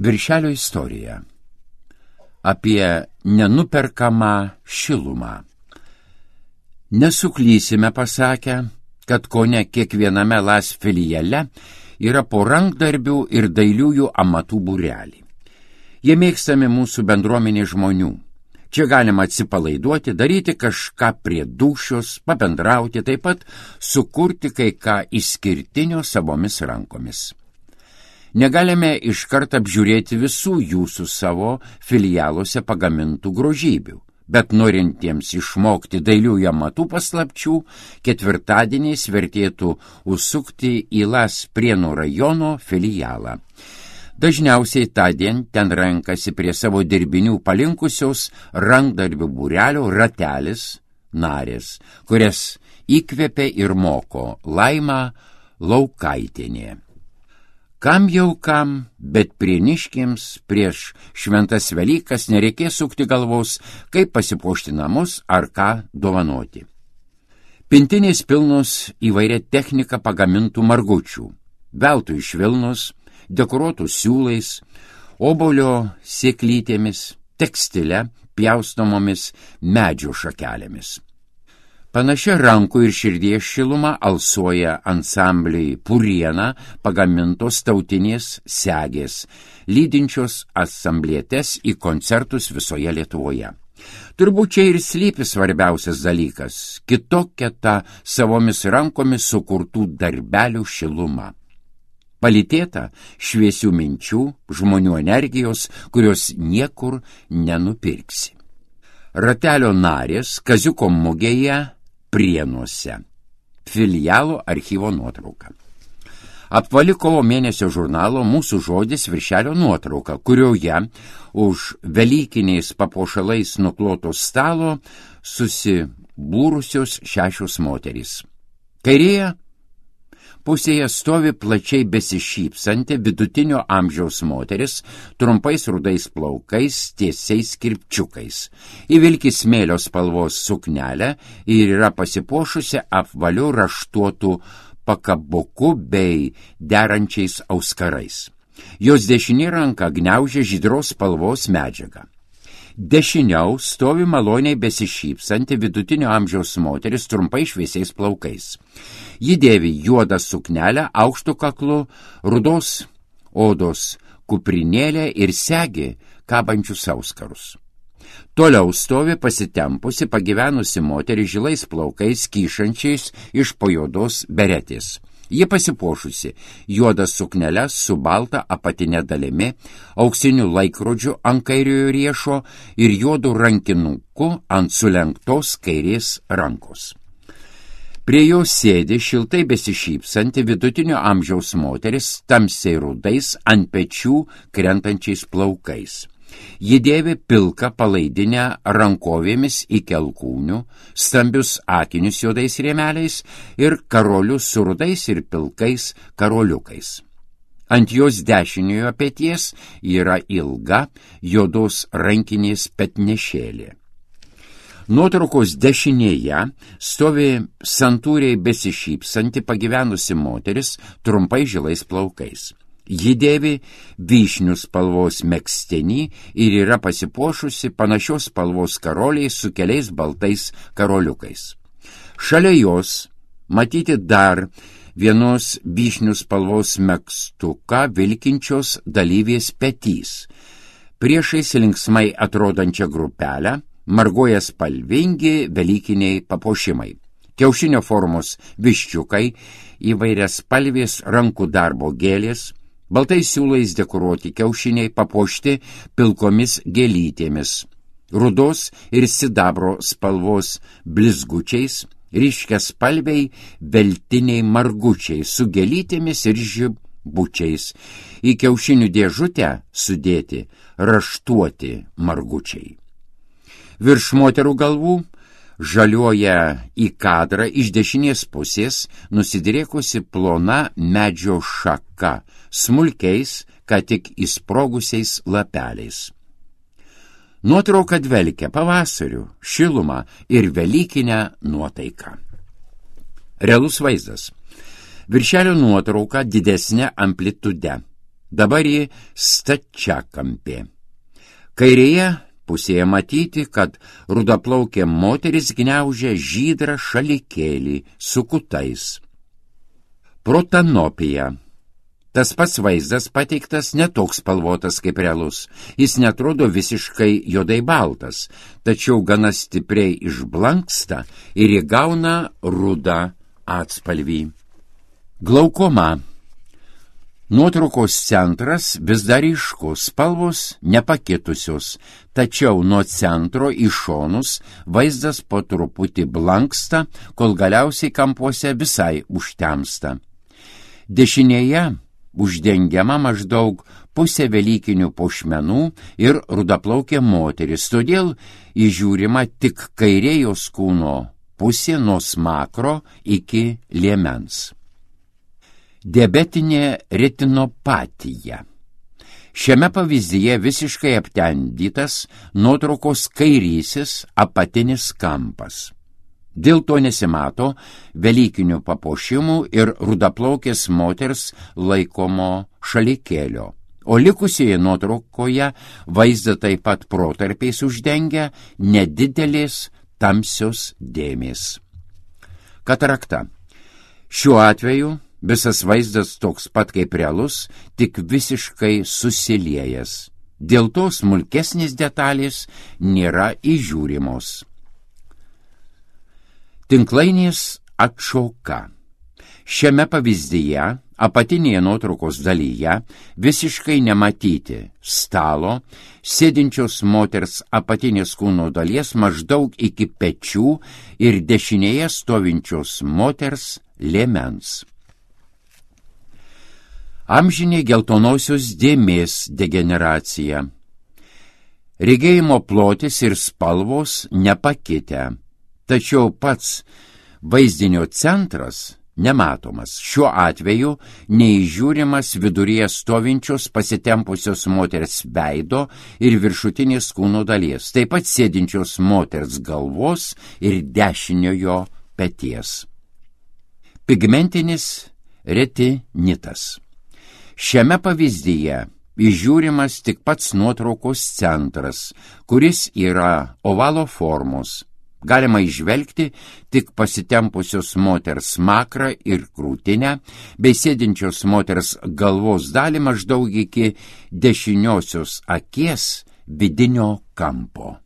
Viršelio istorija apie nenuperkamą šilumą. Nesuklysime pasakę, kad kone kiekviename LAS filiale yra po rankdarbių ir dailiųjų amatų būrelį. Jie mėgstami mūsų bendruomenė žmonių. Čia galima atsipalaiduoti, daryti kažką prie dūšios, pabendrauti, taip pat sukurti kai ką išskirtinio savomis rankomis. Negalime iškart apžiūrėti visų jūsų savo filialuose pagamintų grožybių, bet norintiems išmokti dailiųjų amatų paslapčių, ketvirtadieniais vertėtų užsukti į LAS Prienų rajono filialą. Dažniausiai tądien ten renkasi prie savo dirbinių palinkusios rankdarbių būrelio ratelis narės, kurias įkvėpė ir moko Laima Laukaitienė. Kam jau kam, bet prieniškiams prieš šventas Velykas nereikės sukti galvos, kaip pasipuošti namus ar ką dovanoti. Pintinės pilnos įvairia technika pagamintų margučių, veltui iš vilnos, dekoruotų siūlais, obuolio sėklytėmis, tekstile, pjaustomomis medžio šakelėmis. Panašia rankų ir širdies šiluma alsuoja ansambliai Puriena pagamintos tautinės segės, lydinčios asamblėtes į koncertus visoje Lietuvoje. Turbūt čia ir slypi svarbiausias dalykas – kitokia ta savomis rankomis sukurtų darbelių šiluma. Palytėta šviesių minčių, žmonių energijos, kurios niekur nenupirksi. Ratelio narės Kaziuko mugėje Prienuose. Filialo archyvo nuotrauka. Apvali kovo mėnesio žurnalo Mūsų žodis viršelio nuotrauka, kurioje už velykiniais papuošalais nukloto stalo susibūrusios 6 moterys. Kairėje pusėje stovi plačiai besišypsanti vidutinio amžiaus moteris, trumpais rudais plaukais, tiesiais kirpčiukais. Įvilki smėlio spalvos suknelę ir yra pasipuošusi apvaliu raštuotu pakabuku bei derančiais auskarais. Jos dešinė ranka gniaužia žydros spalvos medžiagą. Dešiniau stovi maloniai besišypsanti vidutinio amžiaus moteris trumpai šviesiais plaukais. Ji dėvi juodą suknelę, aukštu kaklu, rudos odos kuprinėlę ir segi kabančius auskarus. Toliau stovi pasitempusi pagyvenusi moteris žilais plaukais kyšančiais iš po juodos beretės. Ji pasipuošusi juodą suknelę su balta apatinė dalimi, auksiniu laikrodžiu ant kairiojo riešo ir juodu rankinuku ant sulenktos kairės rankos. Prie jos sėdi šiltai besišypsanti vidutinio amžiaus moteris tamsiai rudais ant pečių krentančiais plaukais. Ji dėvi pilką palaidinę rankovėmis iki alkūnių, stambius akinius juodais rėmeliais ir karolius su rudais ir pilkais karoliukais. Ant jos dešiniojo peties yra ilga juodos rankinės petnešėlė. Nuotraukos dešinėje stovi santūriai besišypsanti pagyvenusi moteris trumpais žilais plaukais. Ji dėvi vyšnių spalvos megztinį ir yra pasipuošusi panašios spalvos karoliais su keliais baltais karoliukais. Šalia jos matyti dar vienos vyšnių spalvos megztuką vilkinčios dalyvės petys. Priešais linksmai atrodančią grupelę margoja spalvingi velykiniai papuošimai. Kiaušinio formos viščiukai, įvairias spalvės rankų darbo gėlės, baltais siūlais dekoruoti kiaušiniai papuošti pilkomis gėlytėmis, rudos ir sidabro spalvos blizgučiais, ryškiaspalviai veltiniai margučiai su gėlytėmis ir žibučiais, į kiaušinių dėžutę sudėti raštuoti margučiai. Virš moterų galvų žaliuoja į kadrą iš dešinės pusės nusidriekusi plona medžio šaka, smulkiais, ką tik įsprogusiais lapeliais. Nuotrauka dvelkia pavasariu, šilumą ir velykinę nuotaiką. Realus vaizdas. Viršelio nuotrauka didesnė amplitude. dabar ji stačiakampė. Kairėje pusėje matyti, kad rudaplaukė moteris gniaužia žydrą šalikėlį su kutais. Protanopija. Tas pats vaizdas pateiktas netoks spalvotas kaip realus. Jis netrodo visiškai juodai baltas, tačiau gana stipriai išblanksta ir įgauna rudą atspalvį. Glaukoma. Nuotraukos centras vis dar ryškus, spalvos nepakitusios, tačiau nuo centro į šonus vaizdas po truputį blanksta, kol galiausiai kampuose visai užtemsta. Dešinėje uždengiama maždaug pusė velykinių puošmenų ir rudaplaukė moteris, todėl įžiūrima tik kairė jos kūno pusė nuo smakro iki liemens. Diabetinė retinopatija. Šiame pavyzdyje visiškai aptendytas nuotraukos kairysis apatinis kampas. Dėl to nesimato velykinių papuošimų ir rudaplaukės moters laikomo šalikėlio. O likusioje nuotraukoje vaizdą taip pat protarpiais uždengia nedidelės tamsios dėmės. Katarakta. Šiuo atveju visas vaizdas toks pat kaip realus, tik visiškai susiliejęs. Dėl to smulkesnės detalės nėra įžiūrimos. Tinklainės atšoka. Šiame pavyzdyje apatinėje nuotraukos dalyje visiškai nematyti stalo, sėdinčios moters apatinės kūno dalies maždaug iki pečių ir dešinėje stovinčios moters liemens. Amžinė geltonosios dėmės degeneracija. Regėjimo plotis ir spalvos nepakitę, tačiau pats vaizdinio centras nematomas. Šiuo atveju neįžiūrimas viduryje stovinčios pasitempusios moters veido ir viršutinės kūno dalies, taip pat sėdinčios moters galvos ir dešiniojo peties. Pigmentinis retinitas. Šiame pavyzdyje įžiūrimas tik pats nuotraukos centras, kuris yra ovalo formos. Galima įžvelgti tik pasitempusios moters smakrą ir krūtinę, bei sėdinčios moters galvos dalį maždaug iki dešiniosios akies vidinio kampo.